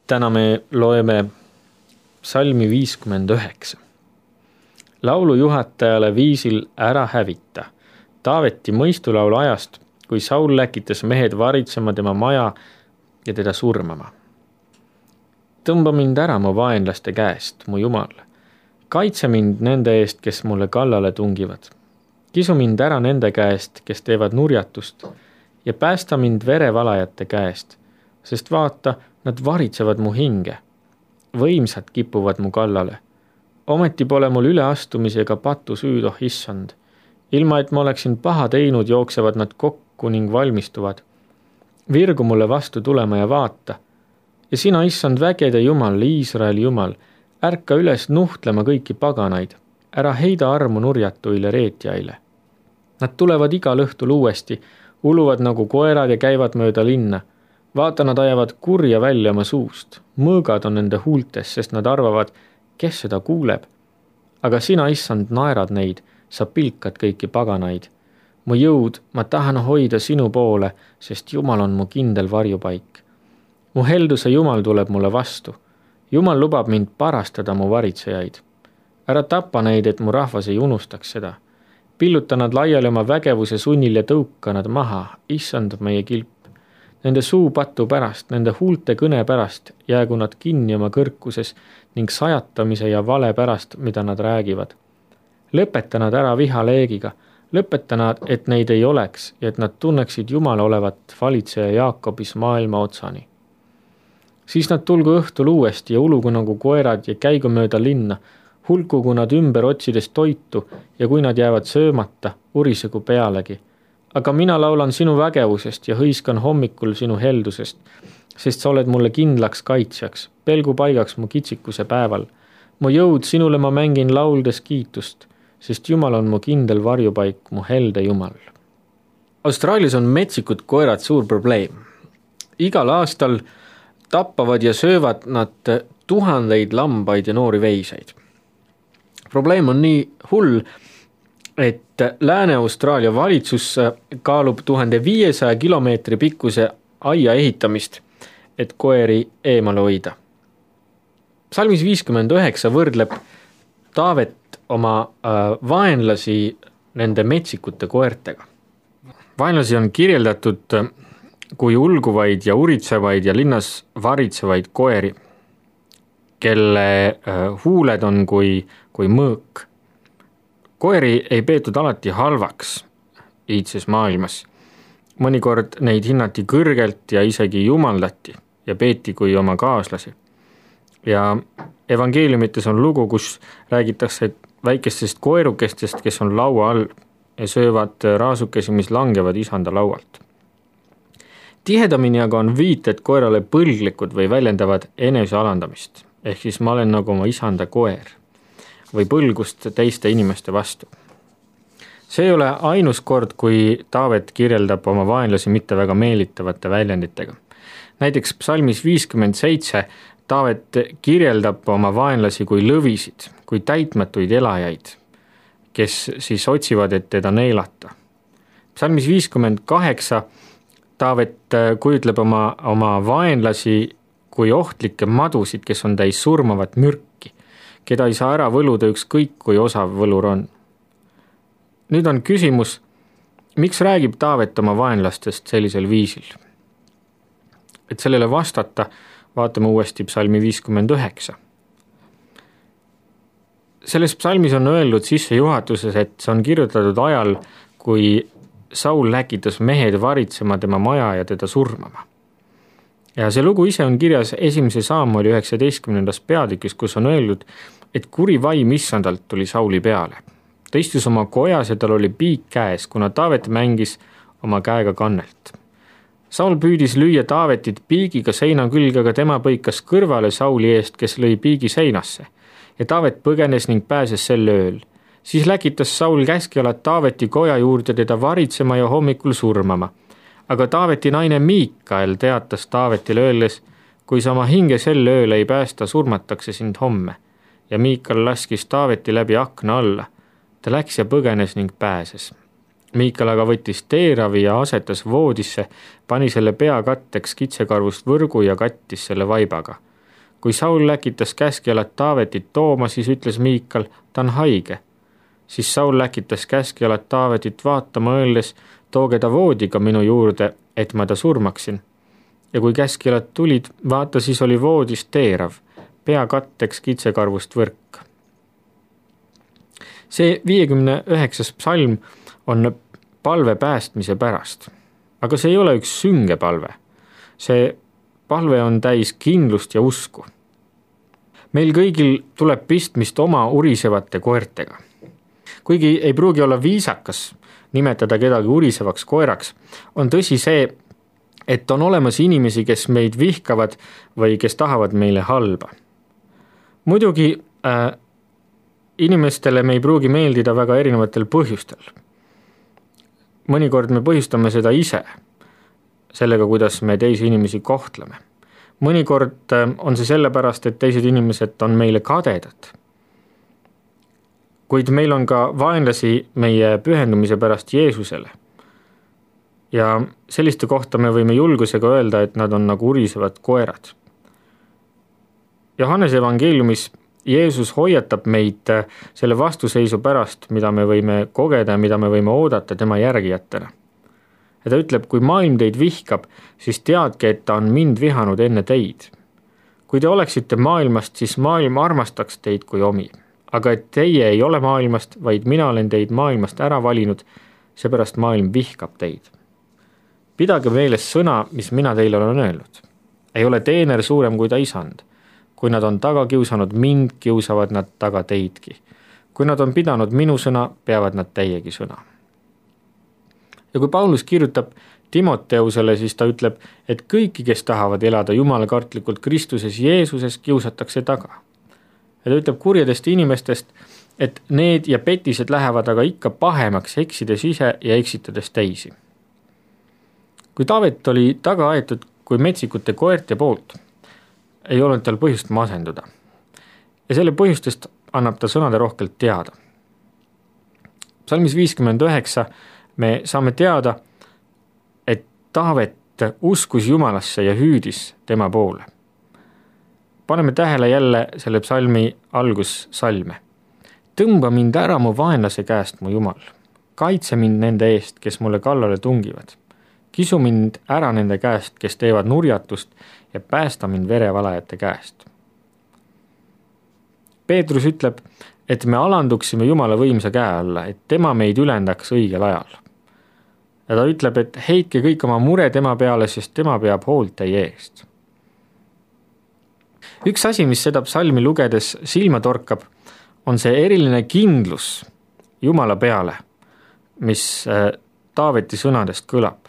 Täna me loeme psalmi 59. Laulu juhatajale viisil Ära hävita. Taaveti mõistulaul ajast, kui Saul läkitas mehed varitsema tema maja ja teda surmama. Tõmba mind ära mu vaenlaste käest, mu Jumal. Kaitse mind nende eest, kes mulle kallale tungivad. Kisu mind ära nende käest, kes teevad nurjatust ja päästa mind verevalajate käest, sest vaata, nad varitsevad mu hinge. Võimsad kipuvad mu kallale. Ometi pole mul üleastumisega patu süüd, oh issand. Ilma, et ma oleksin paha teinud, jooksevad nad kokku ning valmistuvad. Virgu mulle vastu tulema ja vaata. Ja sina, issand, vägede Jumal, Iisraeli Jumal, ärka üles nuhtlema kõiki paganaid. Ära heida armu nurjatuile reetjaile. Nad tulevad igal õhtul uuesti, uluvad nagu koerad ja käivad mööda linna. Vaata, nad ajavad kurja välja oma suust. Mõõgad on nende huultes, sest nad arvavad, kes seda kuuleb. Aga sina, issand, naerad neid, sa pilkad kõiki paganaid. Mu jõud, ma tahan hoida sinu poole, sest Jumal on mu kindel varjupaik. Mu helduse Jumal tuleb mulle vastu. Jumal lubab mind parastada mu varitsejaid. Ära tapa neid, et mu rahvas ei unustaks seda. Pilluta nad laiali oma vägevuse sunnil ja tõuka nad maha, issand meie kilp. Nende suu patu pärast, nende huulte kõne pärast jäägu nad kinni oma kõrkuses ning sajatamise ja vale pärast, mida nad räägivad. Lõpeta nad ära vihaleegiga, lõpeta nad, et neid ei oleks ja et nad tunneksid Jumal olevat valitseja Jaakobis maailma otsani. Siis nad tulgu õhtul uuesti ja ulugu nagu koerad ja käigu mööda linna, hulkugu nad ümber otsides toitu ja kui nad jäävad söömata, urisegu pealegi. Aga mina laulan sinu vägevusest ja hõiskan hommikul sinu heldusest, sest sa oled mulle kindlaks kaitsjaks, pelgu paigaks mu kitsikuse päeval. Mu jõud sinule ma mängin lauldes kiitust, sest Jumal on mu kindel varjupaik, mu helde Jumal. Austraalias on metsikud koerad suur probleem. Igal aastal tappavad ja söövad nad tuhandeid lambaid ja noori veiseid. Probleem on nii hull, et Lääne-Austraalia valitsus kaalub 1500 kilomeetri pikkuse aia ehitamist, et koeri eemale hoida. Psalmis 59 võrdleb Taavet oma vaenlasi nende metsikute koertega. Vaenlasi on kirjeldatud kui ulguvaid ja uritsevaid ja linnas varitsevaid koeri, kelle huuled on kui mõõk. Koeri ei peetud alati halvaks iidses maailmas. Mõnikord neid hinnati kõrgelt ja isegi jumaldati ja peeti kui oma kaaslasi. Ja evangeeliumites on lugu, kus räägitakse väikestest koerukestest, kes on laua all ja söövad raasukesi, mis langevad isanda laualt. Tihedamini aga on viited koerale põlglikud või väljendavad enesealandamist, ehk siis ma olen nagu oma isanda koer või põlgust teiste inimeste vastu. See ei ole ainus kord, kui Taavet kirjeldab oma vaenlasi mitte väga meelitavate väljenditega. Näiteks psalmis 57 Taavet kirjeldab oma vaenlasi kui lõvisid, kui täitmatuid elajaid, kes siis otsivad, et teda neelata. Psalmis 58 Taavet kujutleb oma vaenlasi kui ohtlikke madusid, kes on täis surmavat mürki, keda ei saa ära võluda ükskõik, kui osav võlur on. Nüüd on küsimus, miks räägib Taavet oma vaenlastest sellisel viisil? Et sellele vastata, vaatame uuesti psalmi 59. Selles psalmis on öeldud sissejuhatuses, et see on kirjutatud ajal, kui Saul läkitas mehed varitsema tema maja ja teda surmama. Ja see lugu ise on kirjas 1. Saamueli 19. peatükis, kus on öeldud, et kuri vaim issandalt tuli Sauli peale. Ta istus oma kojas ja tal oli piik käes, kuna Taavet mängis oma käega kannelt. Saul püüdis lüüa Taavetit piigiga seina külge, aga tema põikas kõrvale Sauli eest, kes lõi piigi seinasse. Ja Taavet põgenes ning pääses sel ööl. Siis läkitas Saul käskjalad Taaveti koja juurde teda varitsema ja hommikul surmama. Aga Taaveti naine Miikael teatas Taavetile öeldes, kui sa oma hinge sel ööl ei päästa, surmatakse sind homme. Ja Miikael laskis Taaveti läbi akna alla. Ta läks ja põgenes ning pääses. Miikael aga võttis teeravi ja asetas voodisse, pani selle pea katteks kitsekarvust võrgu ja kattis selle vaibaga. kui Saul läkitas käskjalat Taavetit tooma, siis ütles Miikal, ta on haige. Siis Saul läkitas käskjalat Taavetit vaatama, öeldes, tooge ta voodiga minu juurde, et ma ta surmaksin. Ja kui käskjalad tulid, vaata, siis oli voodis teerav, pea katteks kitsekarvust võrk. See 59. psalm on palve päästmise pärast, aga see ei ole üks sünge palve. See palve on täis kindlust ja usku. Meil kõigil tuleb pistmist oma urisevate koertega. Kuigi ei pruugi olla viisakas nimetada kedagi urisevaks koeraks, on tõsi see, et on olemas inimesi, kes meid vihkavad või kes tahavad meile halba. Muidugi inimestele me ei pruugi meeldida väga erinevatel põhjustel. Mõnikord me põhjustame seda ise, sellega, kuidas me teisi inimesi kohtleme. Mõnikord on see sellepärast, et teised inimesed on meile kadedad. Kuid meil on ka vaenlasi meie pühendumise pärast Jeesusele. Ja selliste kohta me võime julgusega öelda, et nad on nagu urisevad koerad. Johannese evangeeliumis Jeesus hoiatab meid selle vastuseisu pärast, mida me võime kogeda ja mida me võime oodata tema järgijatena. Ja ta ütleb, kui maailm teid vihkab, siis teadke, et ta on mind vihanud enne teid. Kui te oleksite maailmast, siis maailm armastaks teid kui omi. Aga et teie ei ole maailmast, vaid mina olen teid maailmast ära valinud, seepärast maailm vihkab teid. Pidage meeles sõna, mis mina teile olen öelnud. Ei ole teener suurem kui ta isand. Kui nad on taga kiusanud mind, kiusavad nad taga teidki. Kui nad on pidanud minu sõna, peavad nad teiegi sõna. Ja kui Paulus kirjutab Timoteusele, siis ta ütleb, et kõiki, kes tahavad elada jumalakartlikult Kristuses Jeesuses, kiusatakse taga. Ja ta ütleb kurjadest inimestest, et need ja petised lähevad aga ikka pahemaks, eksides ise ja eksitades teisi. Kui Taavet oli taga aetud kui metsikute koerte poolt, ei olnud tal põhjust masenduda. Ja selle põhjustest annab ta sõnade rohkelt teada. Psalmis 59 me saame teada, et Taavet uskus Jumalasse ja hüüdis tema poole. Paneme tähele jälle selle psalmi algussalme. Tõmba mind ära mu vaenlase käest, mu Jumal. Kaitse mind nende eest, kes mulle kallale tungivad. Kisu mind ära nende käest, kes teevad nurjatust ja päästa mind verevalajate käest. Peetrus ütleb, et me alanduksime Jumala võimsa käe alla, et tema meid ülendaks õigel ajal. Ja ta ütleb, et heitke kõik oma mure tema peale, sest tema peab hoolt teie eest. Üks asi, mis seda psalmi lugedes silma torkab, on see eriline kindlus Jumala peale, mis Taaveti sõnadest kõlab.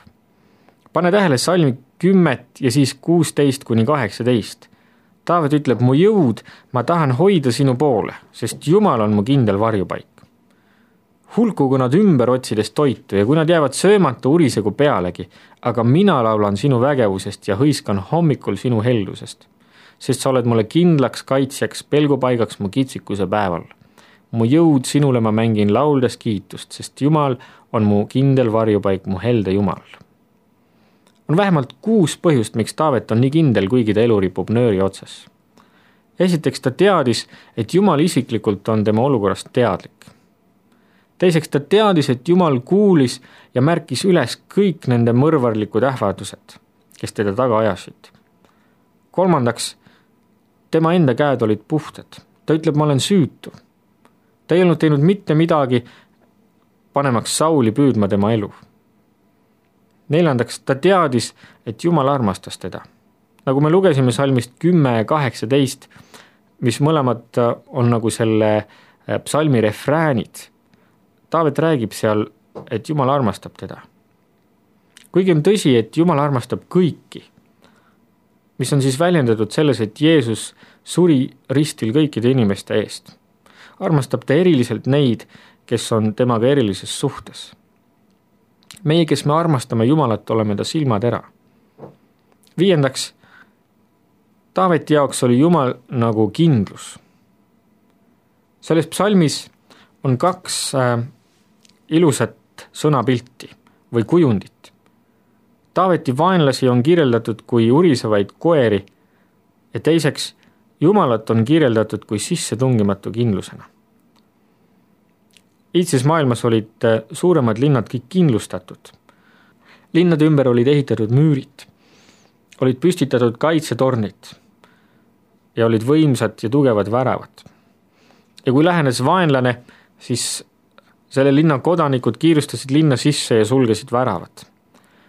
Pane tähele salmi 10 ja siis 16-18. Taavet ütleb, mu jõud, ma tahan hoida sinu poole, sest Jumal on mu kindel varjupaik. Hulkugu nad ümber otsides toitu ja kui nad jäävad söömata, urisegu pealegi, aga mina laulan sinu vägevusest ja hõiskan hommikul sinu heldusest, sest sa oled mulle kindlaks kaitsjaks, pelgupaigaks mu kitsikuse päeval. Mu jõud sinule ma mängin lauldes kiitust, sest Jumal on mu kindel varjupaik, mu helde Jumal. On vähemalt 6 põhjust, miks Taavet on nii kindel, kuigi ta elu ripub nööri otsas. Esiteks ta teadis, et Jumal isiklikult on tema olukorrast teadlik. Teiseks ta teadis, et Jumal kuulis ja märkis üles kõik nende mõrvarlikud ähvardused, kes teda taga ajasid. Kolmandaks, tema enda käed olid puhtad. Ta ütleb, ma olen süütu. Ta ei olnud teinud mitte midagi, panemaks Sauli püüdma tema elu. Neljandaks, ta teadis, et Jumal armastas teda. Nagu me lugesime salmist 10-18, mis mõlemad on nagu selle psalmi refräänid, Taavet räägib seal, et Jumal armastab teda. Kuigi on tõsi, et Jumal armastab kõiki, mis on siis väljendatud selles, et Jeesus suri ristil kõikide inimeste eest. Armastab ta eriliselt neid, kes on temaga erilises suhtes. Meie, kes me armastame Jumalat, oleme ta silmad ära. Viiendaks, Taaveti jaoks oli Jumal nagu kindlus. Selles psalmis on 2 ilusat sõnapilti või kujundit. Taaveti vaenlasi on kirjeldatud kui urisevaid koeri ja teiseks Jumalat on kirjeldatud kui sissetungimatu kindlusena. Iidses maailmas olid suuremad linnad kõik kindlustatud. Linnade ümber olid ehitatud müürid, olid püstitatud kaitsetornid ja olid võimsad ja tugevad väravad. Ja kui lähenes vaenlane, siis selle linna kodanikud kiirustasid linna sisse ja sulgesid väravad.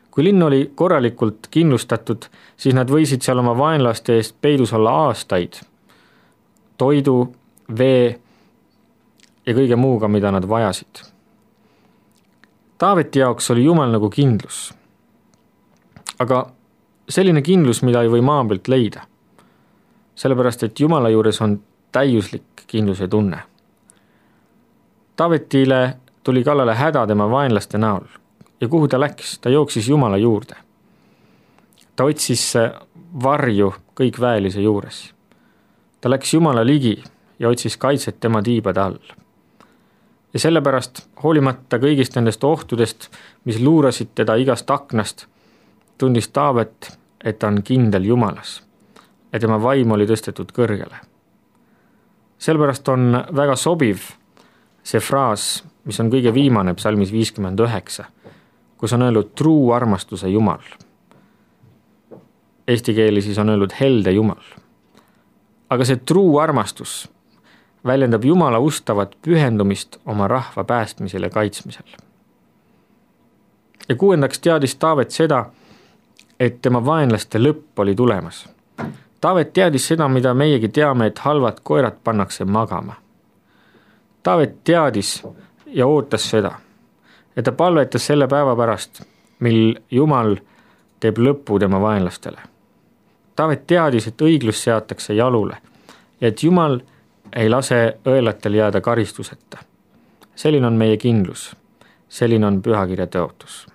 Kui linn oli korralikult kindlustatud, siis nad võisid seal oma vaenlaste eest peidus olla aastaid, toidu, vee ja kõige muuga, mida nad vajasid. Taaveti jaoks oli Jumal nagu kindlus. Aga selline kindlus, mida ei või maa pealt leida. Sellepärast, et Jumala juures on täiuslik kindluse tunne. Taavetile tuli kallale häda tema vaenlaste näol. Ja kuhu ta läks? Ta jooksis Jumala juurde. Ta otsis varju kõik väelise juures. Ta läks Jumala ligi ja otsis kaitset tema tiibade all. Ja sellepärast, hoolimata kõigist nendest ohtudest, mis luurasid teda igast aknast, tundis Taavet, et ta on kindel Jumalas ja tema vaim oli tõstetud kõrgele. Sellepärast on väga sobiv see fraas, mis on kõige viimane psalmis 59, kus on öeldud truu armastuse Jumal. Eesti keeli siis on öeldud helde Jumal. Aga see truu armastus väljendab Jumala ustavat pühendumist oma rahva päästmisel ja kaitsmisel. Ja 6. teadis Taavet seda, et tema vaenlaste lõpp oli tulemas. Taavet teadis seda, mida meiegi teame, et halvad koerad pannakse magama. Taavet teadis ja ootas seda, ja ta palvetas selle päeva pärast, mil Jumal teeb lõppu tema vaenlastele. Taavet teadis, et õiglus seatakse jalule ja et Jumal ei lase õelatel jääda karistuseta. Selline on meie kindlus, selline on pühakirja tõotus.